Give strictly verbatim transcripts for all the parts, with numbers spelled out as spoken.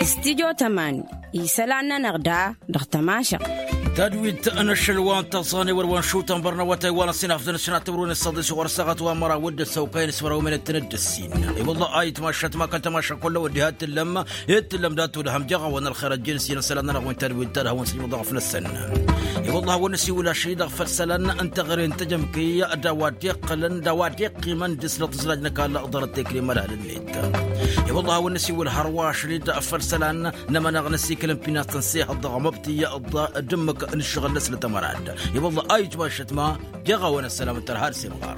Studio tămani isălan-nănăɣ da dăɣ-tămašăɣt. Tadwit n-ašăl wa n-taẓan i-wăr wa n-šutăn bărnăwătay wa n-ăsinafdăn s-inatăwrun s-săḍis ɣur-săɣăt wa n-măraw d-ăssăwkăyăn s-măraw imenetăn d-ăssin. I-wălla ayǝtmašăt ma kăl-tămašăk kull-ăwăd diha t-tǝllăm i-t-tǝllăm dat-udhăm jeɣ-awăn ălxer ăjjin s-inăsălan-nănăɣ wi n-tadwit ta d-hawăn-sǝjmǝḍ dăɣ-afnăsăn. I-wălla hawăn-năsiwǝl ašăl-i dăɣ-făll-isălan n-teɣăre n-tejămke d-a-wa dd-iqqălăn d-a-wa dd-iqqimăn dăr-s dăɣ-tǝzraj n-ăkall ḍarăt tekre n-imălhal-net. I-wălla hawăn-năsiwǝl hărwa ašăl-i-dd făll-isălan n-amăneɣ n-asikǝl n-pinast n-sihăḍ dăɣ-măbtǝy d-ǝmmǝk n-ǝššăɣǝl-năsnăt ămărad. I-wălla a ijmašăt ma jeɣ-awăn ăssălam n-tărha d-simɣar.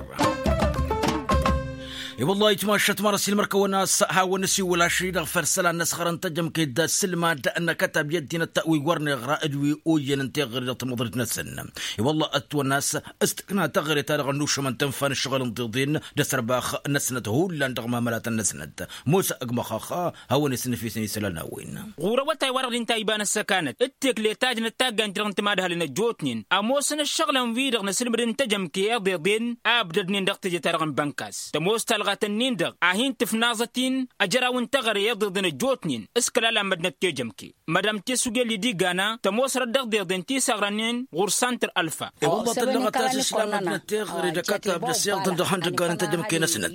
I-wălla a ijmašăt ma răs ilmăr kăwăn-as hawăn-năsiwǝl ašăl-i-dăɣ făll-isălan n-asɣăr n-tejămke d-asǝlmad n-akătab i-ăddinăt wi wăr neɣra d-wi oyyăn n-teɣăre dăɣ-tamăḍrit-năsăn. I-wălla ătwănna a-s s-tǝkna teɣăre-ta-dăɣ ănnušămăn tǝnfa n-ǝššăɣǝl n-tiḍen d-asărbăx-năsnăt hullan dăɣ-imamălatăn-năsnăt. Mosa ăgg măxxax hawăn-isǝnnǝfisăn isălan n-a-wen. Ɣur-awătay wa-dăɣ d-inta iba n-ăssăkanăt d-tekletajd n-ăttaggan-ti-dăɣ n-timadhal n-ăjjootnen ămoosăn ǝššăɣǝlăn-wi-dăɣ n-asǝlmǝd n-tejămke iḍeḍen a ǝbdădnen dăɣ-teje-ta-dăɣ n-bănkas tămoos talɣat-ǝnnin-dăɣ a hin-tǝfnaẓăt-in ăjraw n-teɣăre iḍeḍen ăjjootnen s-kăla la măddinăt tejămke. Mădam tesugel idigana tămoosărăt dăɣ-deḍen ti s-aɣrănnen ɣur-santăr ălfa. I-wălla tǝllăɣăt a-s islamăt n-ătteɣre d-akătab d-ăsiɣḍăn dăɣ-ihăndăggan n-tejămke-năsnăt.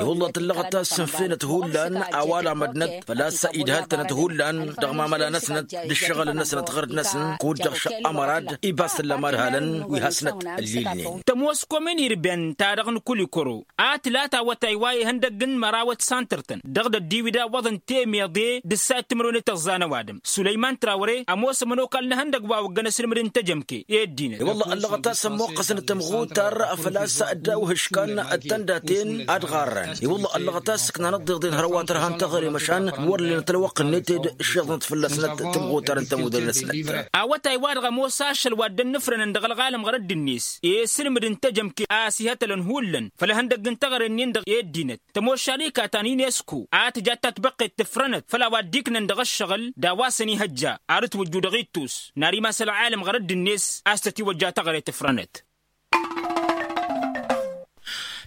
I-wălla tǝllăɣăt a-s sǝnfenăt hullan a-wa lamădnăt făl-a-s idhăl-tănăt hullan dăɣ-mamăla-năsnăt d-ǝššăɣǝl-năsnăt ɣărd-năsnăt kud-dăɣ šăqqamăr ad-ibas tǝllăm adhalăn wi hasnăt ǝllilnen. Tămoos komin irben ta dăɣ-nǝkulikoro a tǝla tawătay wa ihăndăgg n-mărawăt santăr-tăn dăɣ-dăddiwǝd a ǝwwăḍăn temeḍe d-ǝssayăt timǝrwen d-tăẓẓa n-ăwadǝm sulăyman trawre ămoos ămănokal n-ehăndăgg wa ǝwwăggăn asǝlmǝd n-tejămke i-ăddinăt. I-wălla ăllăɣăt a-s ămmuqqăsnăt tămɣutar făl-a-s dd-awhǝškan d-tăndaten ad-ɣarrăn. I-wălla ăllăɣăt a-s ǝknanăt d-iḍen hărwa tărha n-teɣăre măšan wăr lenăt ălwăqq-net d-išiḍnăt fălla-snăt tămɣutar n-tămudre-năsnăt. Awătay-wa-dăɣ ămoos ašăl wa dd-ănnǝfrănăn dăɣ-ălɣalăm ɣărădd-net i-isǝlmǝd n-tejămke a ăsihătălăn hullan făll-ihăndăgg n-teɣăre-nin-dăɣ i-ăddinăt. Tămoššali katan inesku a tǝja tatbăqqet tǝfrănăt făll-a-wa dd-iknăn dăɣ-ăššăɣǝl d-a-wa săn-ihăjja ar ǝtwǝjju dăɣ-ittus n-ar imas ălɣalăm ɣărădd-net a-s tătiwăjja teɣăre tǝfrănăt.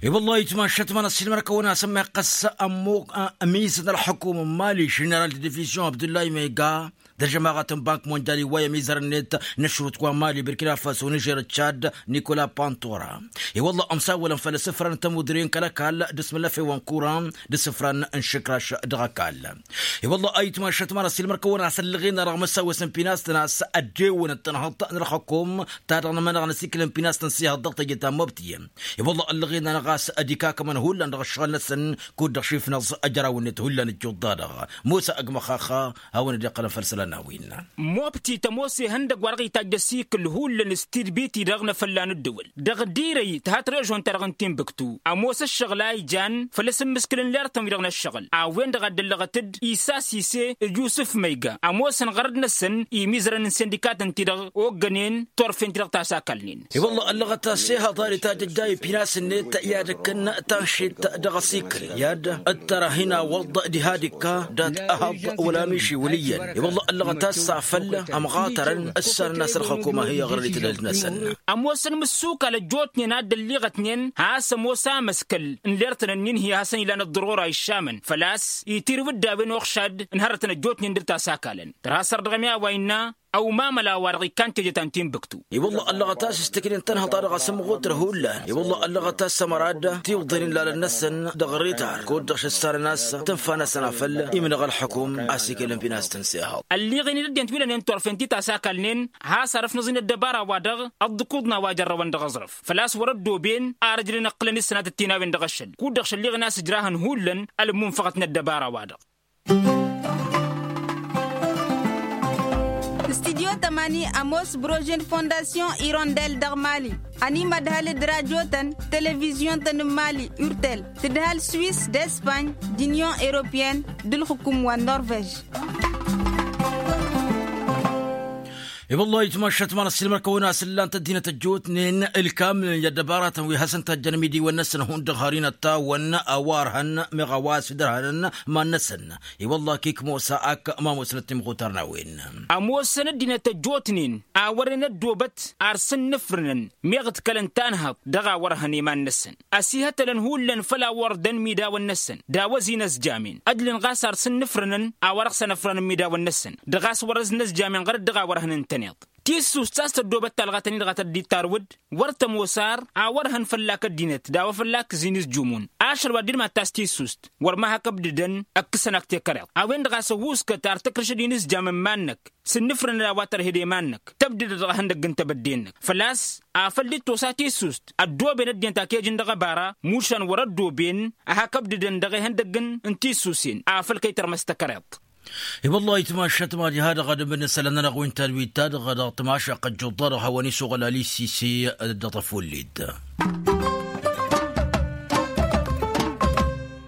I-wăllah itmašăt ma n-ăssiilmăr-kăwăn-asăn ma iqqăs ămizăt n-ălxukum n-mali ženeral d-divizyon abdullah imega d-ăžămaɣăt n-bank mondyal iwway ămizăr-net n-ăšrut wa n-mali burkina faso nižer d-čad nikola pantora. I-wăllah ămsawălăn făll-asǝfran n-tămudre n-kăl-ăkall d-asmǝllăfewăn kuran d-asǝfran n-išǝkraš dăɣ-ăkall. I-wăllah a itmašăt ma n-ăssiilmăr-kăwăn-asăn ǝllăɣen arăɣ măsawăs n-pinast n-a-s ăddewăn d-tănhăḍt n-ălxukum ta dăɣ-nămănăɣ n-asikǝl n-pinast n-sihăḍ dăɣ-teje ta n-mobtiyăn. I-wăllah ăllăɣen-anăɣ a-s ad-ikakămăn hullan dăɣ-ǝššăɣǝl-năsăn kud-dăɣ šifnăẓ ăjraw-net hullan ǝjjuḍ-da-dăɣ. Musa ăgg măxxaxa hawăn-dd-iqqălăn făll-isălan n-a-wen. Mobti tămoos ihăndăgg wa dăɣ-itajj ăsikǝl hullan s-tidbit-i-dăɣ n-afălla n-ǝddǝwǝl dăɣ-dd-irăy tǝhat režon-ta-dăɣ n-tinbǝktu. Ămoos ǝššăɣǝl a ijan făll-asǝmmǝskǝl n-lertăn-wi-dăɣ n-ǝššăɣǝl a-wen-dăɣ a dd-ăllăɣăt-dd isa sise d-yusǝf măyga ămoosăn ɣărăd-năsăn imizărăn n-sindikatăn-ti-dăɣ oggănen turfen-ti-dăɣ ta s-akalnen. I-wăllah ăllăɣăt a-s ehăḍ a d-itajjăjja i-pinas-net i-ad-ǝkkǝn tanšit dăɣ-asikǝl i-ad-ǝttărăh inawăḍ diha d-ikka dat-ehăḍ wăla miši wăl' iyyăn. I-wăllah ăllăɣăt a-s afăl ămɣatărăn ǝssanăn a-s ălxăkum a hi-iɣrăd i-tadhǝlt-năsăn. Ămoosăn mǝssukal ăjjootnen a dd-ălliɣătnen has-ămoos amăskăl n-lertăn-ǝnnin hi-hasăn-ilan ăḍḍărora iššamăn făl-a-s itirǝw dd-a-wen uɣšad n-hărătăn ăjjootnen dăr-ta s-akalăn. Tărha săr dăɣ-emi a-wa innă ăwmamăla wa-dăɣ ikkan teje ta n-tinbǝktu. I-wăllah ăllăɣăt a-s s-tǝknen tănhăḍ-ta-dăɣ asǝmɣut tărhullan. I-wăllah ăllăɣăt a-s ămăra-dd tiwḍen n-ilalăn-năsăn dăɣ-ritard kud-dăɣ šǝssarăn a-s tǝnfa-năsăn afăl imnăɣ ălxukum a-s ikelăn pinastăn s-ehăḍ. Ălliɣen-dd ăddinăt wi lănen turfen ti ta s-akalnen has-arǝfnăẓ-in ăddăbara-wa-dăɣ ăḍḍǝkuḍna wa jărrăwăn dăɣ-aẓrǝf făl-a-s wăr-ăddooben ar ǝjrǝn ǝqqǝlăn isănatăt ti n-a-wen dăɣ-ašăl kud-dăɣ šălliɣen a-s ǝjrahăn hullan ălmunfăɣăt n-ăddăbara-wa-dăɣ. Studyo tămani ămoos brože n-fondasyon irondel dăɣ-mali ănimădhal d-radyo-tăn televizyon-tăn n-mali urtel tǝdhal swis d-espany d-unyon europeyăn d-ǝlxǝkum wa n-norvej. I-wăllah itmašat ma n-ăssiilmăr-kăwăn-asǝllan tăddinăt ăjjootnen ǝlkam i-ăddăbaratăn wi hasăn-tajjăn imidiwăn-năsăn hundăɣ har-inăttawăn a-wa ărhăn meɣ a-wa s-dd-ărhănăn iman-năsăn. I-wăllah kik mosa ak ma musnăt timɣutar n-a-wen. Ămoosăn ăddinăt ăjjootnen a wăren ăddoobăt ar sǝnnǝfrǝnăn meɣ ǝḍkălăn tanhăḍt dăɣ-a-wărhăn iman-năsăn ăsihătălăn hullan făll-a-wăr dăn imidawăn-năsăn d-a-wăz-in ăzjamen ădlǝn ɣas ar sǝnnǝfrǝnăn a-wăr ăɣsăn ăfrăn imidawăn-năsăn dăɣ-a-s wăr-ăznăzjamen ɣărăt dăɣ-a-wăr hănăn-tăn iḍ. Tissust s-a-s tăddoobăt talɣatăn-i-dăɣ a tăddit tarwǝd wăr tămoos ar a wăr hăn fălla-k ăddinăt d-a-wa fălla-k ǝzzin s-jumǝn. Ašăl wa dd-mad-tass tissust wăr ma hak ǝbdǝdăn ǝkkǝsăn-ak tekăreḍt a-wen-dăɣ a-s ăhuuskăt ar tăkrǝš ădin s-jamăn iman-năk sǝnnǝfrǝnăn a-wa tărhed i-iman-năk tăbdǝdăd dăɣ-ehăndăgg n-tebădde-năk făl-a-s afăl dd-tosa tissust ăddooben ăddinăt a t-ejǝn dăɣ-ebara mušan wăr-ăddooben a hak ǝbdǝdăn dăɣ-ehăndăgg n-tissusen afăl kăy-tărmăs tekăreḍt. I-wăllah itmašat mad-iha-dăɣ ad-ămǝd n-isălan-nănăɣ wi n-tadwit-ta-dăɣ dăɣ-tmašaqq ăjjuḍ-ta-dăɣ hawăn-isuɣăl alisise. Dăɣ-tăfulled.